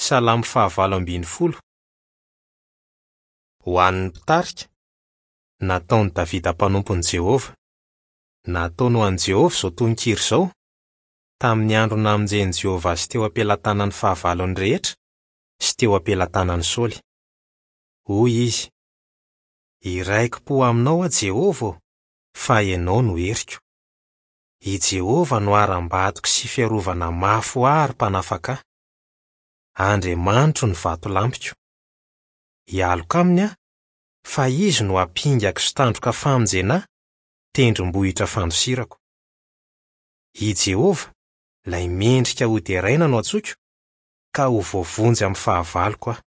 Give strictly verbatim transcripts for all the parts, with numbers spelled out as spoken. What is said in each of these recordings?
Salamo fahavalo ambin'ny folo. Ho an'ny mpitarika, nataon'i Davida mpanompon'i Jehovah. Nataony ho an'i Jehovah izao tononkira izao, tamin'ny andro namonjen'i Jehovah azy teo am-pelatanan'ny fahavalony rehetra sy teo am-pelatanan'i Saoly. Hoy izy: Hiraiki-po aminao aho Jehovah ô, fa ianao no heriko. I Jehovah no harambatoko sy fiarovana mafy ho ahy ary mpanafaka ahy. Andriamanitro ny vatolampiko. Hialoka aminy aho, fa izy no ampingako sy tandroka famonjena ahy, tendrombohitra fandosirako. I Jehovah, ilay mendrika hoderaina no antsoiko, ka ho voavonjy amin'ny fahavaloko aho.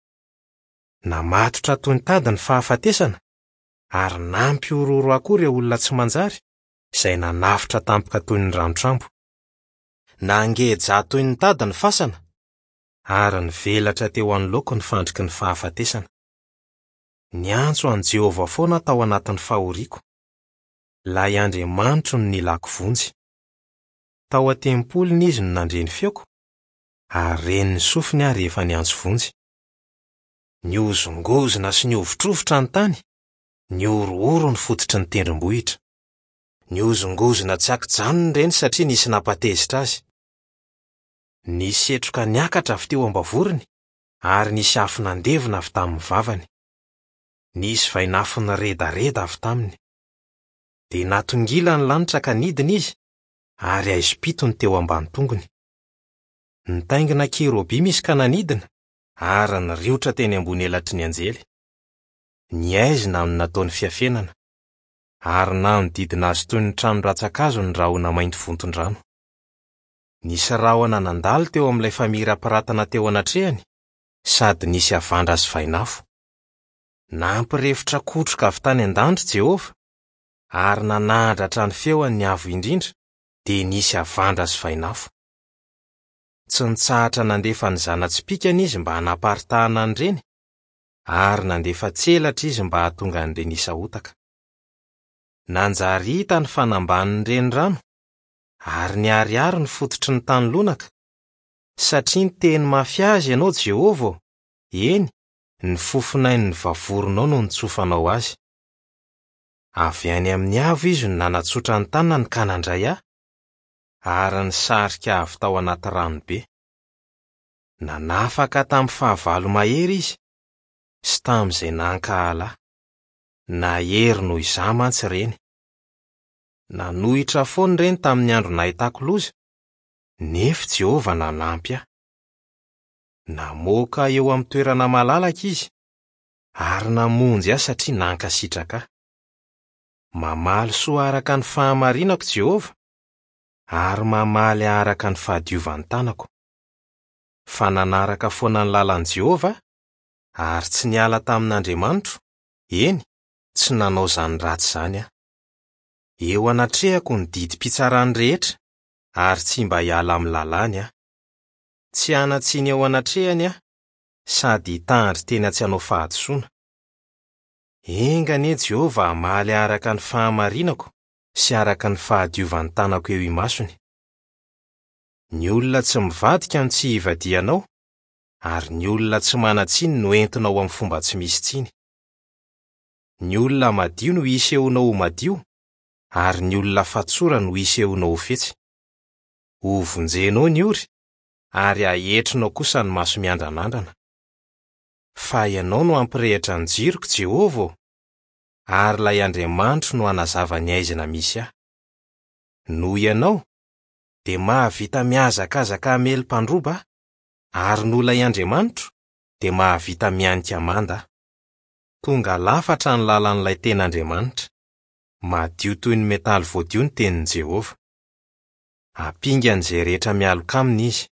Namatotra toy ny tady ny fahafatesana, ary nampihorohoro ahy koa ireo olona tsy manjary, izay nanafotra tampoka toy ny ranotrambo. Nangeja ahy toy ny tady ny fasana, ary nivelatra teo anoloako ny fandriky ny fahafatesana. Niantso an'i Jehovah foana aho tao anatin'ny fahoriako. Ilay Andriamanitro no nilako vonjy. Tao an-tempoliny izy no nandre ny feoko, ary ren'ny sofiny aho rehefa niantso vonjy. Nihozongozona sy nihovitrovitra ny tany, nihorohoro ny fototry ny tendrombohitra. Nihozongozona tsy ankijanona ireny satria nisy nampatezitra azy. Nisy setroka niakatra avy teo am-bavorony, ary nisy afo nandevona avy tamin'ny vavany. Nisy vainafo niredareda avy taminy. Dia natongila ny lanitra ka nidina izy, ary haizim-pito ny teo ambany tongony. Nitaingina kerobima izy ka nanidina, ary niriotra teny ambony elatry ny anjely. Ny haizina no nataony fiafenana, ary nanodidina azy toy ny trano rantsan-kazo ny rahona mainty vonton-drano. Nisy rahona nandalo teo amin'ilay famirapiratana teo anatrehany, sady nisy havandra sy vainafo. Nampirefotra kotroka avy tany an-danitra Jehovah, ary nanandratra ny feony ny Avo Indrindra, dia nisy havandra sy vainafo. Tsy nitsahatra nandefa ny zana-tsipìkany izy mba hanaparitahana an'ireny, ary nandefa tselatra izy mba hahatonga an'ireny hisahotaka. Nanjary hita ny fanambanin'ny renirano, ary niharihary ny fototry ny tany lonaka, satria niteny mafy azy ianao Jehovah ô, eny, ny fofonain'ny vavoronao no nitsofanao azy. Avy any amin'ny avo izy no nanatsotra ny tanany ka nandray ahy, ary nisarika avy tao anaty ranobe. Nanafaka tamin'ny fahavalo mahery izy, sy tamin'izay nankahala ahy. Nahery noho izaho mantsy ireny. Nanohitra foana ireny tamin'ny andro nahitako loza, nefa Jehovah nanampy ahy. Namoaka eo amin'ny toerana malalaka izy, ary namonjy ahy satria nankasitraka ahy. Mamaly soa araka ny fahamarinako Jehovah, ary mamaly araka ny fahadiovan'ny tanako. Fa nanaraka foana ny lalan'i Jehovah aho, ary tsy niala tamin'Andriamanitro, eny, tsy nanao izany ratsy izany aho. Eo anatrehako ny didim-pitsarany rehetra, ary tsy mba hiala amin'ny lalàny aho. Tsy hanan-tsiny eo anatrehany aho, sady hitandry tena tsy hanao fahadisoana. Enga anie Jehovah hamaly araka ny fahamarinako sy araka ny fahadiovan'ny tanako eo imasony. Ny olona tsy mivadika no tsy hivadihanao, ary ny olona tsy manan-tsiny no entinao amin'ny fomba tsy misy tsiny. Ny olona madio no hisehonao ho madio, ary ny olona fatsora no hisehonao ho fetsy. Hovonjenao ny ory, ary haetrinao kosa ny maso miandranandrana. Fa ianao no hampirehitra ny jiroko, Jehovah ô, ary ilay Andriamanitro no hanazava ny haizina misy ahy. Noho ianao, dia mahavita mihazakazaka hamely mpandroba aho, ary noho ilay Andriamanitro, dia mahavita mihanika manda aho. Tonga lafatra ny lalan'ilay tena Andriamanitra. Madio toy ny metaly voadio ny tenin'i Jehovah. Ampingan'izay rehetra mialoka aminy izy.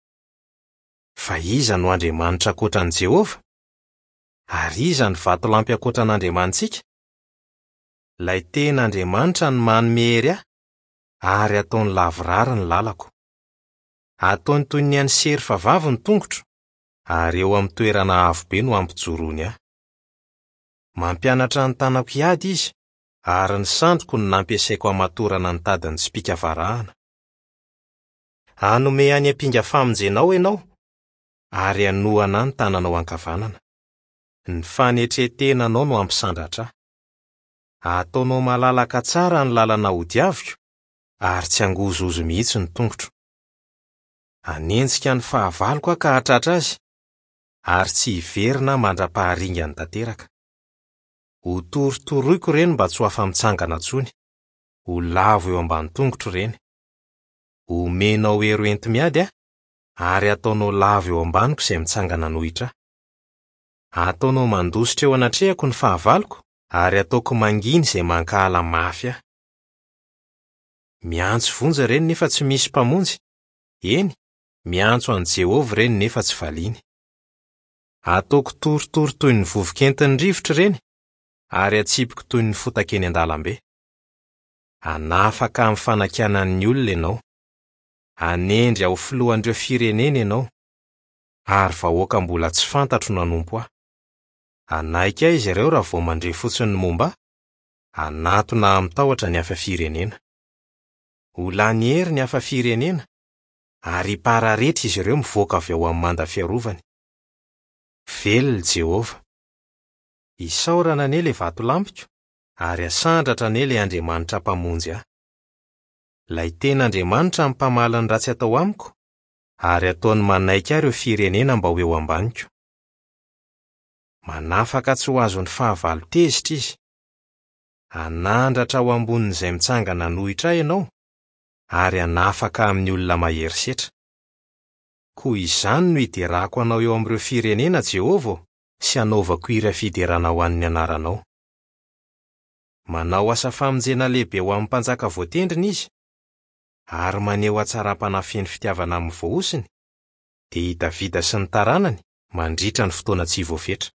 Fa iza no Andriamanitra ankoatra an'i Jehovah? Ary iza no vatolampy ankoatra an'Andriamanitsika? Ilay tena Andriamanitra no manome hery ahy, ary ataony lavorary ny lalako. Ataony toy ny an'ny serfa vavy ny tongotro, ary eo amin'ny toerana avo be no ampijoroany ahy. Mampianatra ny tanako hiady izy, ary ny sandriko no nampiasaiko hamatorana ny tadin'ny tsipìka varahana. Hanome any ampinga famonjenao ianao, ary hanohana ahy ny tananao ankavanana. Ny fanetren-tenanao no hampisandratra ahy. Ataonao malalaka tsara ny lalana hodiaviko, ary tsy hangozohozo mihitsy ny tongotro. Hanenjika ny fahavaloko aho ka hahatratra azy, ary tsy hiverina aho mandra-paharingany tanteraka. Hotorotoroiko ireny mba tsy ho afa-mitsangana intsony. Ho lavo eo ambany tongotro ireny. Homenao hery hoenti-miady aho, ary hataonao lavo eo ambaniko izay mitsangana hanohitra ahy. Ataonao mandositra eo anatrehako ny fahavaloko, ary ataoko mangina izay mankahala mafy ahy. Miantso vonjy ireny nefa tsy misy mpamonjy. Eny, miantso an'i Jehovah ireny nefa tsy valiany. Ataoko torotoro toy ny vovoka entin'ny rivotra ireny, ary atsipiko toy ny fotaka eny an-dalambe. Hanafaka amin'ny fanakianan'ny olona ianao. Hanendry aho ho filohan'ireo firenena ianao, ary vahoaka mbola tsy fantatro no hanompo ahy. Hanaiky ahy izy ireo raha vao mandre fotsiny ny momba ahy, hanatona ahy amin-tahotra ny hafa firenena. Ho lany hery ny hafa firenena, ary hipararetra izy ireo mivoaka avy ao amin'ny manda fiarovany. Velona Jehovah! Isaorana anie ilay vatolampiko, ary asandratra anie ilay Andriamanitra mpamonjy ahy. Ilay tena Andriamanitra no mpamaly ny ratsy atao amiko, ary ataony manaiky ahy ireo firenena mba ho eo ambaniko. Manafaka tsy ho azon'ny fahavalo tezitra izy. Hanandratra ho ambonin'izay mitsangana hanohitra ahy ianao, ary hanafaka amin'ny olona mahery setra. Koa izany no hiderako anao eo amin'ireo firenena, Jehovah ô, sy hanaovako hira fiderana ho an'ny anaranao. Manao asa famonjena lehibe ho amin'ny mpanjaka voatendriny izy, ary maneho hatsaram-panahy feno fitiavana amin'ny voahosony, dia i Davida sy ny taranany mandritra ny fotoana tsy voafetra.